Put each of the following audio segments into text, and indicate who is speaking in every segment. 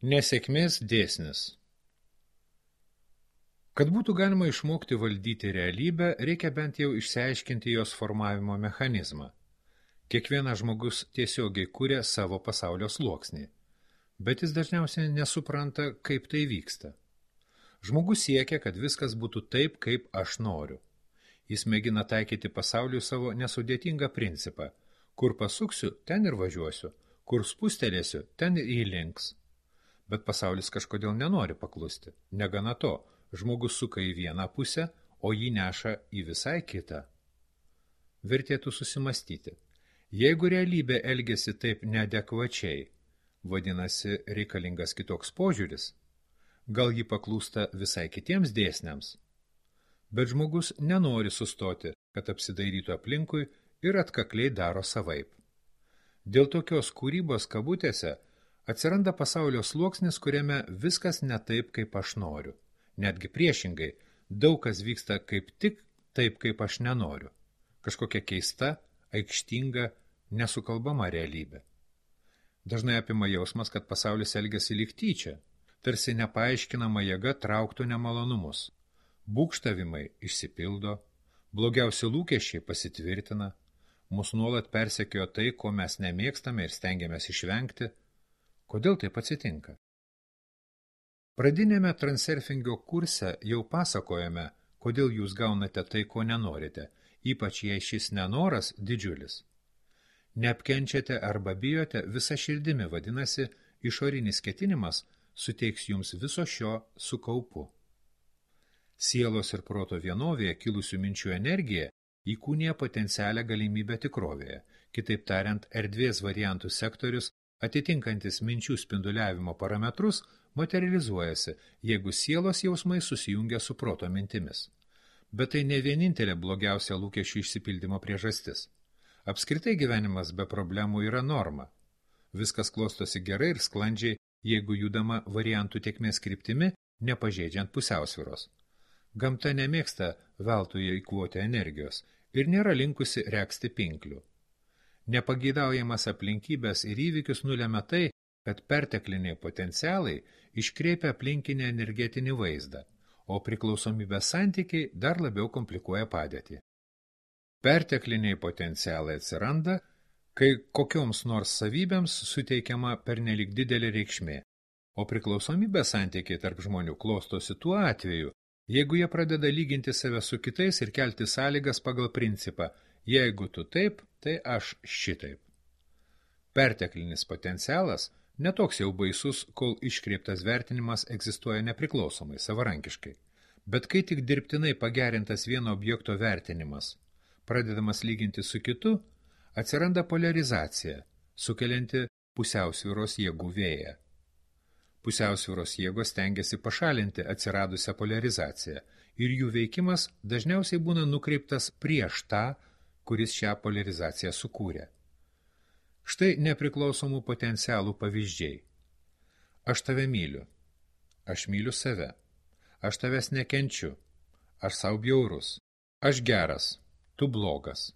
Speaker 1: Nesėkmės dėsnis. Kad būtų galima išmokti valdyti realybę, reikia bent jau išsiaiškinti jos formavimo mechanizmą. Kiekvienas žmogus tiesiogiai kuria savo pasaulio sluoksnį, bet jis dažniausiai nesupranta, kaip tai vyksta. Žmogus siekia, kad viskas būtų taip, kaip aš noriu. Jis mėgina taikyti pasauliui savo nesudėtingą principą. Kur pasuksiu, ten ir važiuosiu, kur spustelėsiu, ten ir įlinks. Bet pasaulis kažkodėl nenori paklusti. Negana to, žmogus suka į vieną pusę, o jį neša į visai kitą. Vertėtų susimastyti. Jeigu realybė elgiasi taip neadekvačiai, vadinasi reikalingas kitoks požiūris, gal ji paklūsta visai kitiems dėsniams. Bet žmogus nenori sustoti, kad apsidairytų aplinkui ir atkakliai daro savaip. Dėl tokios kūrybos kabutėse atsiranda pasaulio sluoksnis, kuriame viskas ne taip, kaip aš noriu. Netgi priešingai, daug kas vyksta kaip tik taip, kaip aš nenoriu. Kažkokia keista, aikštinga, nesukalbama realybė. Dažnai apima jausmas, kad pasaulis elgiasi lyg tyčia, tarsi nepaaiškinama jėga trauktų nemalonumus. Būgštavimai išsipildo, blogiausi lūkesčiai pasitvirtina, mus nuolat persekiojo tai, ko mes nemėgstame ir stengiamės išvengti. Kodėl taip atsitinka? Pradinėme transurfingio kurse jau pasakojame, kodėl jūs gaunate tai, ko nenorite, ypač jei šis nenoras didžiulis. Neapkenčiate arba bijote visą širdimi, vadinasi, išorinis ketinimas suteiks jums viso šio su kaupu. Sielos ir proto vienovėje kilusių minčių energija įkūnija potencialią galimybę tikrovėje, kitaip tariant, erdvės variantų sektorius atitinkantis minčių spinduliavimo parametrus, materializuojasi, jeigu sielos jausmai susijungia su proto mintimis. Bet tai ne vienintelė blogiausia lūkesčių išsipildymo priežastis. Apskritai gyvenimas be problemų yra norma. Viskas klostosi gerai ir sklandžiai, jeigu judama variantų tėkmės kryptimi, nepažeidžiant pusiausvyros. Gamta nemėgsta veltui eikvoti energijos ir nėra linkusi regzti pinklių. Nepageidaujamas aplinkybės ir įvykius nulemia tai, kad pertekliniai potencialai iškreipia aplinkinį energetinį vaizdą, o priklausomybės santykiai dar labiau komplikuoja padėtį. Pertekliniai potencialai atsiranda, kai kokioms nors savybėms suteikiama pernelyg didelė reikšmė, o priklausomybės santykiai tarp žmonių klostosi tuo atveju, jeigu jie pradeda lyginti save su kitais ir kelti sąlygas pagal principą, jeigu tu taip, tai aš šitaip. Perteklinis potencialas netoks jau baisus, kol iškreiptas vertinimas egzistuoja nepriklausomai, savarankiškai. Bet kai tik dirbtinai pagerintas vieno objekto vertinimas, pradedamas lyginti su kitu, atsiranda poliarizacija, sukelianti pusiausvyros jėgų vėją. Pusiausvyros jėgos stengiasi pašalinti atsiradusią poliarizaciją ir jų veikimas dažniausiai būna nukreiptas prieš tą, kuris šią poliarizaciją sukūrė. Štai nepriklausomų potencialų pavyzdžiai. Aš tave myliu. Aš myliu save. Aš tavęs nekenčiu. Aš sau bjaurus. Aš geras. Tu blogas.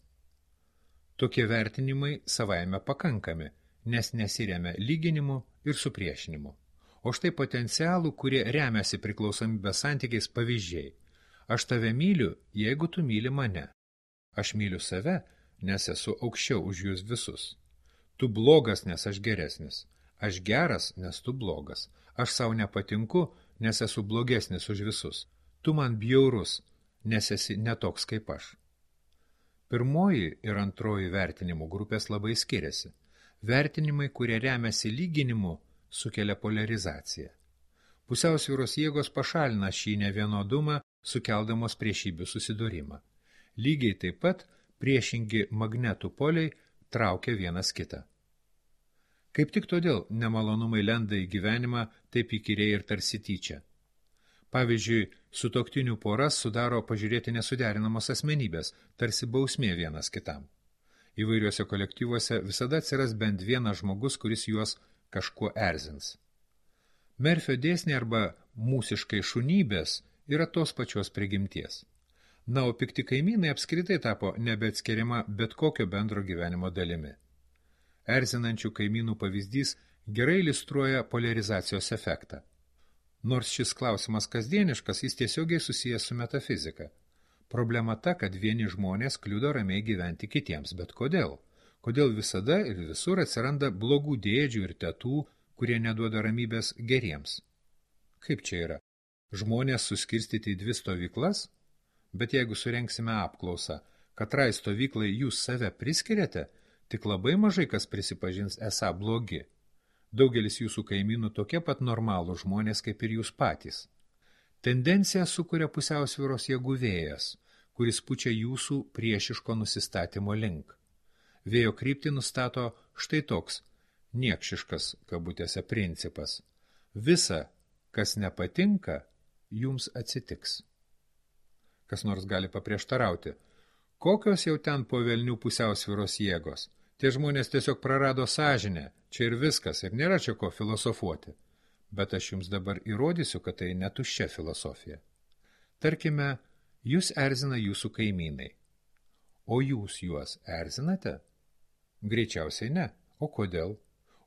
Speaker 1: Tokie vertinimai savaime pakankami, nes nesiremia lyginimu ir supriešinimu. O štai potencialų, kurie remiasi priklausomybės santykiais pavyzdžiai. Aš tave myliu, jeigu tu myli mane. Aš myliu save, nes esu aukščiau už jūs visus. Tu blogas, nes aš geresnis. Aš geras, nes tu blogas. Aš sau nepatinku, nes esu blogesnis už visus. Tu man bjaurus, nes esi netoks kaip aš. Pirmoji ir antroji vertinimų grupės labai skiriasi. Vertinimai, kurie remiasi lyginimu, sukelia poliarizaciją. Pusiausvyros jėgos pašalina šį nevienodumą, sukeldamos priešybių susidūrimą. Lygiai taip pat priešingi magnetų poliai traukia vienas kitą. Kaip tik todėl nemalonumai lenda į gyvenimą taip įkyriai ir tarsi tyčia. Pavyzdžiui, sutuoktinių poras sudaro pažiūrėti nesuderinamos asmenybės, tarsi bausmė vienas kitam. Įvairiuose kolektyvuose visada atsiras bent vienas žmogus, kuris juos kažkuo erzins. Merfio dėsniai arba mūsiškai šunybės yra tos pačios prigimties. Na, o pikti kaimynai apskritai tapo nebeatskiriama bet kokio bendro gyvenimo dalimi. Erzinančių kaimynų pavyzdys gerai iliustruoja poliarizacijos efektą. Nors šis klausimas kasdieniškas, jis tiesiogiai susijęs su metafizika. Problema ta, kad vieni žmonės kliudo ramiai gyventi kitiems, bet kodėl? Kodėl visada ir visur atsiranda blogų dėdžių ir tetų, kurie neduoda ramybės geriems? Kaip čia yra? Žmonės suskirstyti į 2 stovyklas? Bet jeigu surenksime apklausą, katrai stovyklai jūs save priskiriate, tik labai mažai kas prisipažins esą blogi. Daugelis jūsų kaimynų tokie pat normalų žmonės kaip ir jūs patys. Tendencija sukuria pusiausvyros jėgų vėjas, kuris pučia jūsų priešiško nusistatymo link. Vėjo kryptį nustato štai toks niekšiškas, kabutėse, principas. Visa, kas nepatinka, jums atsitiks. Kas nors gali paprieštarauti. Kokios jau ten po velnių pusiausvyros jėgos? Tie žmonės tiesiog prarado sąžinę, čia ir viskas, ir nėra čia ko filosofuoti. Bet aš jums dabar įrodysiu, kad tai netuščia filosofija. Tarkime, jūs erzina jūsų kaimynai. O jūs juos erzinate? Greičiausiai ne. O kodėl?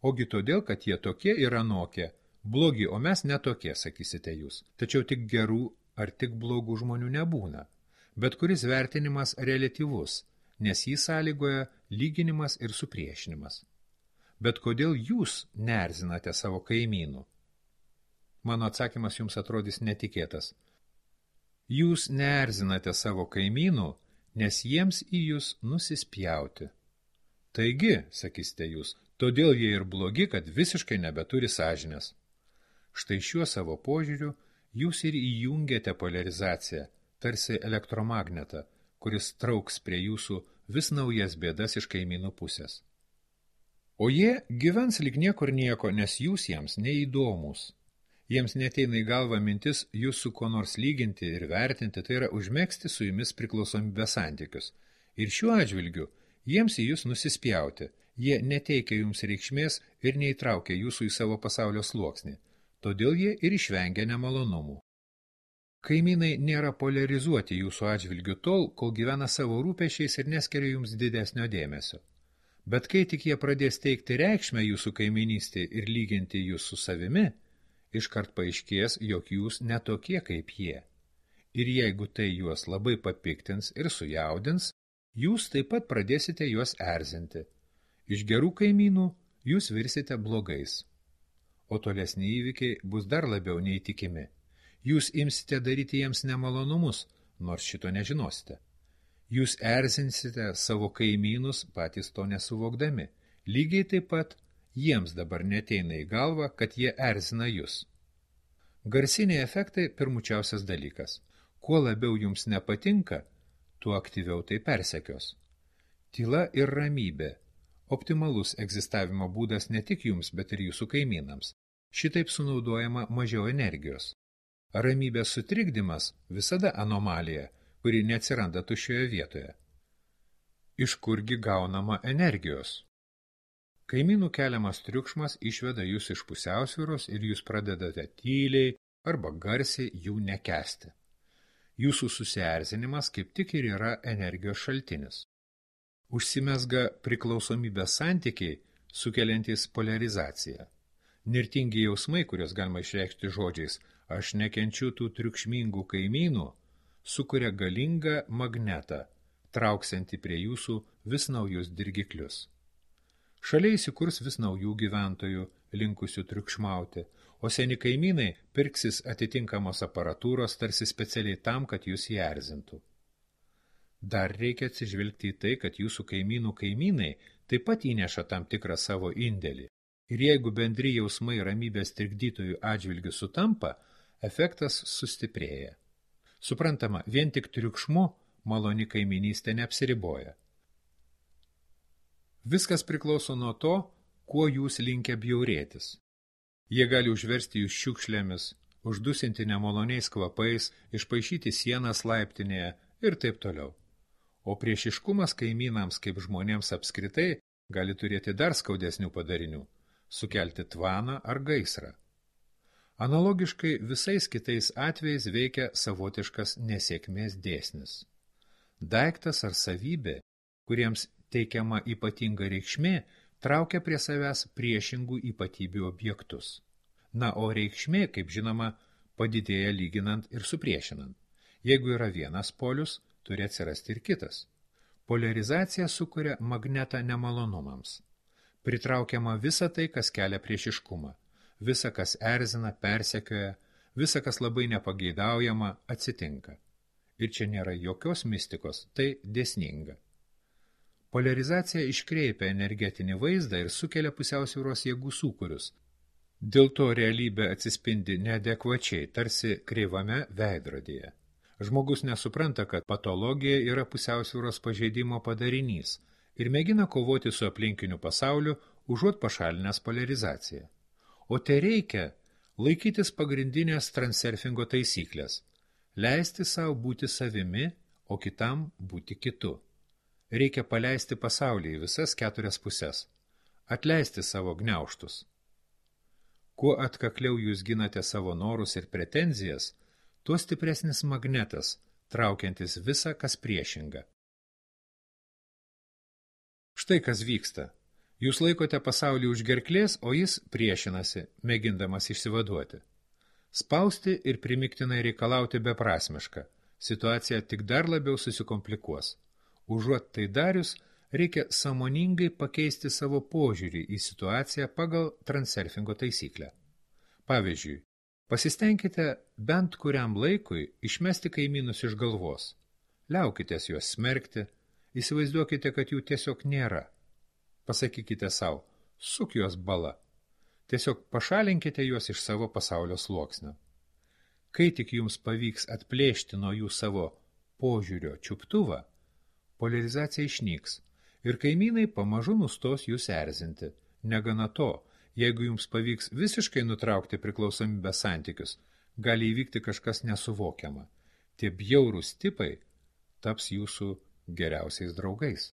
Speaker 1: Ogi todėl, kad jie tokie ir anokie. Blogi, o mes netokie, sakysite jūs. Tačiau tik gerų ar tik blogų žmonių nebūna. Bet kuris vertinimas reliatyvus, nes jį sąlygoja lyginimas ir supriešinimas. Bet kodėl jūs neerzinate savo kaimynų? Mano atsakymas jums atrodys netikėtas. Jūs neerzinate savo kaimynų, nes jiems į jūs nusispjauti. Taigi, sakysite jūs, todėl jie ir blogi, kad visiškai nebeturi sąžinės. Štai šiuo savo požiūriu jūs ir įjungiate poliarizaciją, tarsi elektromagnetą, kuris trauks prie jūsų vis naujas bėdas iš kaimynų pusės. O jie gyvens lyg niekur nieko, nes jūs jiems neįdomus. Jiems neteina į galvą mintis jūs su kuo nors lyginti ir vertinti, tai yra užmegzti su jumis priklausomybės santykius. Ir šiuo atžvilgiu jiems į jūs nusispjauti, jie neteikia jums reikšmės ir neįtraukia jūsų į savo pasaulio sluoksnį, todėl jie ir išvengia nemalonumų. Kaimynai nėra poliarizuoti jūsų atžvilgiu tol, kol gyvena savo rūpešiais ir neskiria jums didesnio dėmesio. Bet kai tik jie pradės teikti reikšmę jūsų kaiminystį ir lyginti jūs su savimi, iškart paaiškės, jog jūs netokie kaip jie. Ir jeigu tai juos labai papiktins ir sujaudins, jūs taip pat pradėsite juos erzinti. Iš gerų kaimynų jūs virsite blogais. O tolesni įvykiai bus dar labiau neįtikimi. Jūs imsite daryti jiems nemalonumus, nors šito nežinosite. Jūs erzinsite savo kaimynus patys to nesuvokdami. Lygiai taip pat jiems dabar neteina į galvą, kad jie erzina jūs. Garsiniai efektai pirmučiausias dalykas. Kuo labiau jums nepatinka, tuo aktyviau tai persekios. Tyla ir ramybė. Optimalus egzistavimo būdas ne tik jums, bet ir jūsų kaimynams. Šitaip sunaudojama mažiau energijos. Ramybės sutrikdymas visada anomalija, kuri neatsiranda tuščioje vietoje. Iš kurgi gaunama energijos? Kaimynų keliamas triukšmas išveda jūs iš pusiausvyros ir jūs pradedate tyliai arba garsiai jų nekęsti. Jūsų susierzinimas kaip tik ir yra energijos šaltinis. Užsimezga priklausomybės santykiai, sukeliantys poliarizaciją. Nirtingi jausmai, kurios galima išreikšti žodžiais, aš nekenčiu tų triukšmingų kaimynų, sukuria galingą magnetą, trauksiantį prie jūsų vis naujus dirgiklius. Šalia įsikurs vis naujų gyventojų, linkusių triukšmauti, o seni kaimynai pirksis atitinkamos aparatūros tarsi specialiai tam, kad jūs jį erzintų. Dar reikia atsižvelgti į tai, kad jūsų kaimynų kaimynai taip pat įneša tam tikrą savo indėlį. Ir jeigu bendri jausmai ramybės trikdytojų atžvilgių sutampa, efektas sustiprėja. Suprantama, vien tik triukšmu maloni kaiminystė neapsiriboja. Viskas priklauso nuo to, kuo jūs linkę bjaurėtis. Jie gali užversti jūs šiukšlėmis, uždusinti nemaloniais kvapais, išpaišyti sienas laiptinėje ir taip toliau. O priešiškumas kaimynams kaip žmonėms apskritai gali turėti dar skaudesnių padarinių – sukelti tvaną ar gaisrą. Analogiškai visais kitais atvejais veikia savotiškas nesėkmės dėsnis. Daiktas ar savybė, kuriems teikiama ypatinga reikšmė, traukia prie savęs priešingų ypatybių objektus. Na, o reikšmė, kaip žinoma, padidėja lyginant ir supriešinant. Jeigu yra vienas polius, turi atsirasti ir kitas. Poliarizacija sukuria magnetą nemalonumams. Pritraukiama visa tai, kas kelia priešiškumą, visa, kas erzina, persekioja, visa, kas labai nepageidaujama, atsitinka. Ir čia nėra jokios mistikos, tai dėsninga. Poliarizacija iškreipia energetinį vaizdą ir sukelia pusiausvyros jėgų sūkurius. Dėl to realybė atsispindi neadekvačiai, tarsi kreivame veidrodyje. Žmogus nesupranta, kad patologija yra pusiausvyros pažeidimo padarinys ir mėgina kovoti su aplinkiniu pasauliu, užuot pašalinęs poliarizaciją. O tai reikia laikytis pagrindinės transurfingo taisyklės – leisti savo būti savimi, o kitam būti kitu. Reikia paleisti pasaulį į visas 4 puses, atleisti savo gniaužtus. Kuo atkakliau jūs ginate savo norus ir pretenzijas, tuo stipresnis magnetas, traukiantis visą, kas priešinga. Štai kas vyksta. Jūs laikote pasaulį už gerklės, o jis priešinasi, mėgindamas išsivaduoti. Spausti ir primiktinai reikalauti beprasmiška. Situacija tik dar labiau susikomplikuos. Užuot tai darius, reikia sąmoningai pakeisti savo požiūrį į situaciją pagal transurfingo taisyklę. Pavyzdžiui, pasistengkite bent kuriam laikui išmesti kaimynus iš galvos. Liaukitės juos smerkti, įsivaizduokite, kad jų tiesiog nėra. Pasakykite savo, suk juos bala. Tiesiog pašalinkite juos iš savo pasaulio sluoksnio. Kai tik jums pavyks atplėšti nuo jų savo požiūrio čiuptuvą, poliarizacija išnyks ir kaimynai pamažu nustos jūs erzinti. Negana to, jeigu jums pavyks visiškai nutraukti priklausomybės santykius, gali įvykti kažkas nesuvokiama. Tie bjaurūs tipai taps jūsų geriausiais draugais.